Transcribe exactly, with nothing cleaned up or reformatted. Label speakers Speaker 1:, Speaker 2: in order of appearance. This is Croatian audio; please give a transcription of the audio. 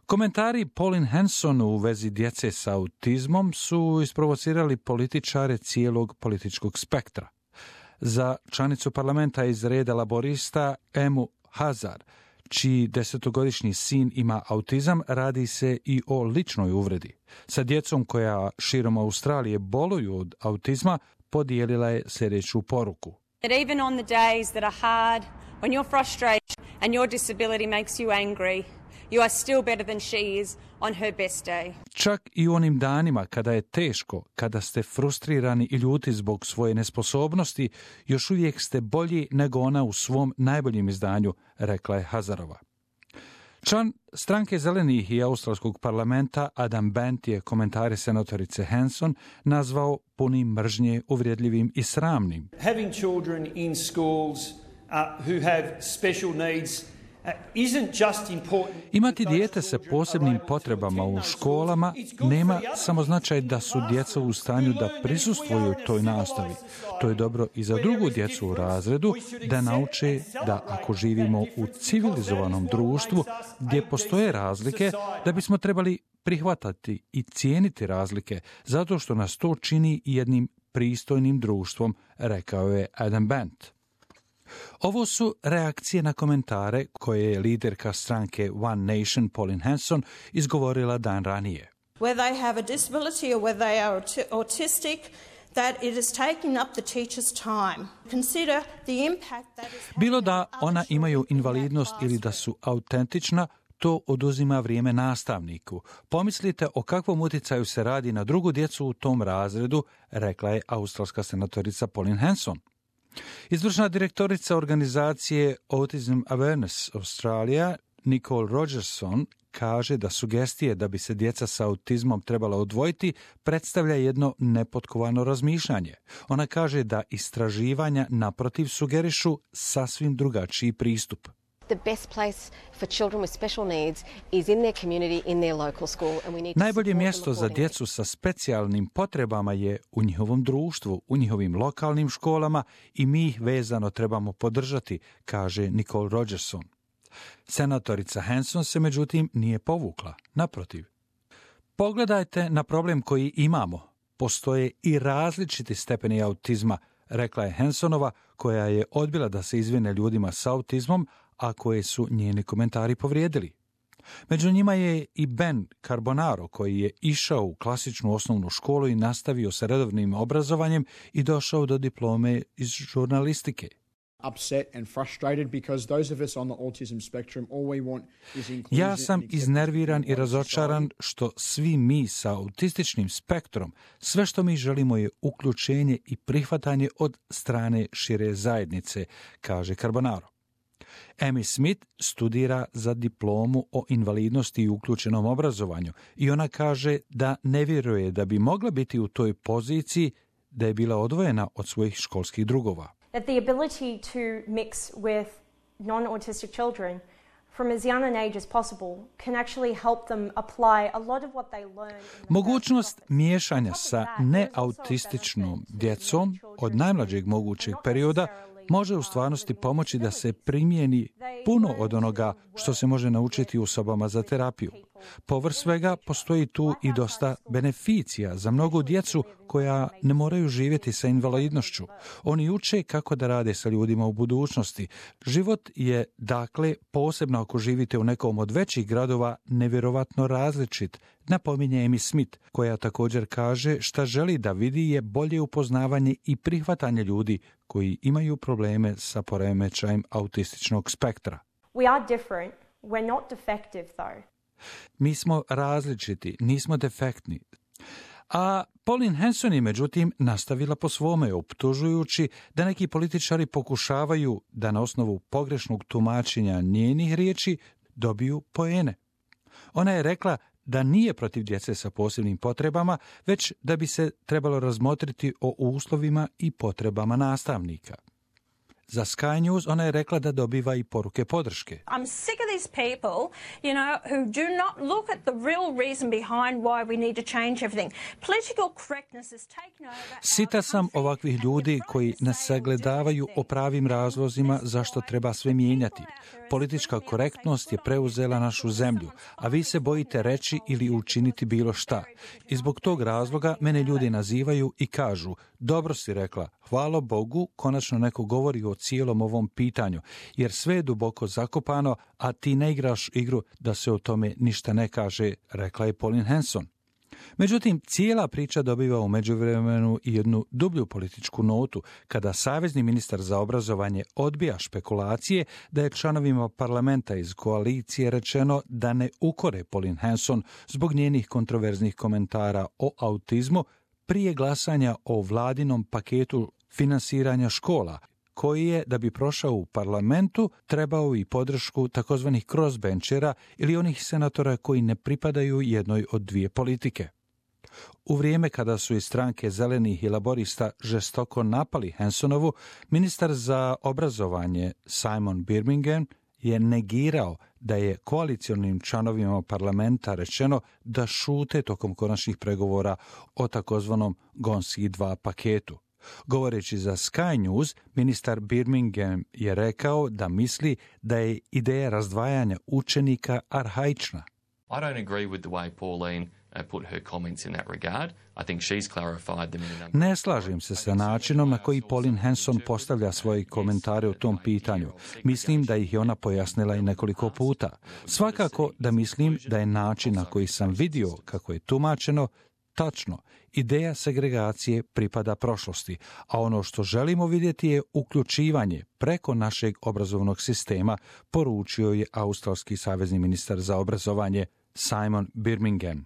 Speaker 1: Komentari Pauline Hanson u vezi djece sa autizmom su isprovocirali političare cijelog političkog spektra. Za članicu parlamenta iz reda laborista Emu Hazard, čiji desetogodišnji sin ima autizam, radi se i o ličnoj uvredi. Sa djecom koja širom Australije boluju od autizma, podijelila je sljedeću poruku.
Speaker 2: That even on the days that are hard, when you're frustrated and your disability makes you angry, you are still better than she is on her best day.
Speaker 1: Čak i u onim danima kada je teško, kada ste frustrirani i ljuti zbog svoje nesposobnosti, još uvijek ste bolji nego ona u svom najboljem izdanju, rekla je Hazarova. Član stranke Zelenih i Australskog parlamenta Adam Bent je komentare senatorice Hanson nazvao punim mržnje, uvredljivim i sramnim.
Speaker 3: Having children in schools uh, who have special needs
Speaker 1: Imati dijete sa posebnim potrebama u školama nema samo značaj da su djeca u stanju da prisustvuju toj nastavi. To je dobro i za drugu djecu u razredu da nauče da ako živimo u civilizovanom društvu gdje postoje razlike, da bismo trebali prihvatati i cijeniti razlike zato što nas to čini jednim pristojnim društvom, rekao je Adam Bent. Ovo su reakcije na komentare koje je liderka stranke One Nation Pauline Hanson izgovorila dan ranije.
Speaker 4: Whether they have a disability or whether they are autistic, that it is taking up the teacher's time. Consider the impact that is
Speaker 1: Bilo da ona imaju invalidnost ili da su autentična, to oduzima vrijeme nastavniku. Pomislite o kakvom utjecaju se radi na drugu djecu u tom razredu, rekla je australska senatorica Pauline Hanson. Izvršna direktorica organizacije Autism Awareness Australia, Nicole Rogerson, kaže da sugestije da bi se djeca sa autizmom trebala odvojiti predstavlja jedno nepotkovano razmišljanje. Ona kaže da istraživanja naprotiv sugerišu sasvim drugačiji pristup. Najbolje mjesto za djecu sa specijalnim potrebama je u njihovom društvu, u njihovim lokalnim školama i mi ih vezano trebamo podržati, kaže Nicole Rogerson. Senatorica Hanson se međutim nije povukla, naprotiv. Pogledajte na problem koji imamo. Postoje i različiti stepeni autizma, rekla je Hansonova, koja je odbila da se izvine ljudima s autizmom, a koje su njeni komentari povrijedili. Među njima je i Ben Carbonaro, koji je išao u klasičnu osnovnu školu i nastavio sa redovnim obrazovanjem i došao do diplome iz žurnalistike. Ja sam iznerviran i razočaran što svi mi sa autističnim spektrom, sve što mi želimo je uključenje i prihvatanje od strane šire zajednice, kaže Carbonaro. Amy Smith studira za diplomu o invalidnosti i uključenom obrazovanju i ona kaže da ne vjeruje da bi mogla biti u toj poziciji da je bila odvojena od svojih školskih drugova.
Speaker 5: That the ability to mix with non-autistic children from as young an age as possible can actually help them apply a lot of what they learn.
Speaker 1: Mogućnost miješanja sa neautističnom djecom od najmlađeg mogućeg perioda može u stvarnosti pomoći da se primijeni puno od onoga što se može naučiti u sobama za terapiju. Povrh svega postoji tu i dosta beneficija za mnogu djecu koja ne moraju živjeti sa invalidnošću. Oni uče kako da rade sa ljudima u budućnosti. Život je, dakle, posebno ako živite u nekom od većih gradova, nevjerovatno različit, napominje Amy Smith, koja također kaže šta želi da vidi je bolje upoznavanje i prihvatanje ljudi koji imaju probleme sa poremećajem autističnog spektra.
Speaker 5: We are different. We're not defective, though.
Speaker 1: Mi smo različiti, nismo defektni. A Pauline Hanson je međutim nastavila po svome, optužujući da neki političari pokušavaju da na osnovu pogrešnog tumačenja njenih riječi dobiju poene. Ona je rekla da nije protiv djece sa posebnim potrebama, već da bi se trebalo razmotriti o uslovima i potrebama nastavnika. Za Sky News ona je rekla da dobiva i poruke podrške.
Speaker 6: I'm sick of these people, you know, who do not look at the real reason behind why we need to change everything. Political correctness is taken over.
Speaker 1: Sita sam ovakvih ljudi koji ne sagledavaju o pravim razlozima zašto treba sve mijenjati. Politička korektnost je preuzela našu zemlju, a vi se bojite reći ili učiniti bilo šta. I zbog tog razloga mene ljudi nazivaju i kažu, dobro si rekla, hvala Bogu, konačno neko govori o cijelom ovom pitanju, jer sve je duboko zakopano, a ti ne igraš igru da se o tome ništa ne kaže, rekla je Pauline Hanson. Međutim, cijela priča dobiva u međuvremenu i jednu dublju političku notu, kada savezni ministar za obrazovanje odbija špekulacije da je članovima parlamenta iz koalicije rečeno da ne ukore Pauline Hanson zbog njenih kontroverznih komentara o autizmu prije glasanja o vladinom paketu finansiranja škola, koji je, da bi prošao u parlamentu, trebao i podršku takozvanih crossbenchera ili onih senatora koji ne pripadaju jednoj od dvije politike. U vrijeme kada su iz stranke Zelenih i Laborista žestoko napali Hansonovu, ministar za obrazovanje Simon Birmingham je negirao da je koalicionim članovima parlamenta rečeno da šute tokom konačnih pregovora o takozvanom Gonski dva paketu. Govoreći za Sky News, ministar Birmingham je rekao da misli da je ideja razdvajanja učenika arhaična.
Speaker 7: I don't agree with the way Pauline uh, put her comments in that regard. I think she's clarified them in a number.
Speaker 1: Ne slažem se sa načinom na koji Pauline Hanson postavlja svoje komentare o tom pitanju. Mislim da ih je ona pojasnila i nekoliko puta. Svakako da mislim da je način na koji sam vidio kako je tumačeno tačno. Ideja segregacije pripada prošlosti, a ono što želimo vidjeti je uključivanje preko našeg obrazovnog sistema, poručio je australski savezni ministar za obrazovanje Simon Birmingham.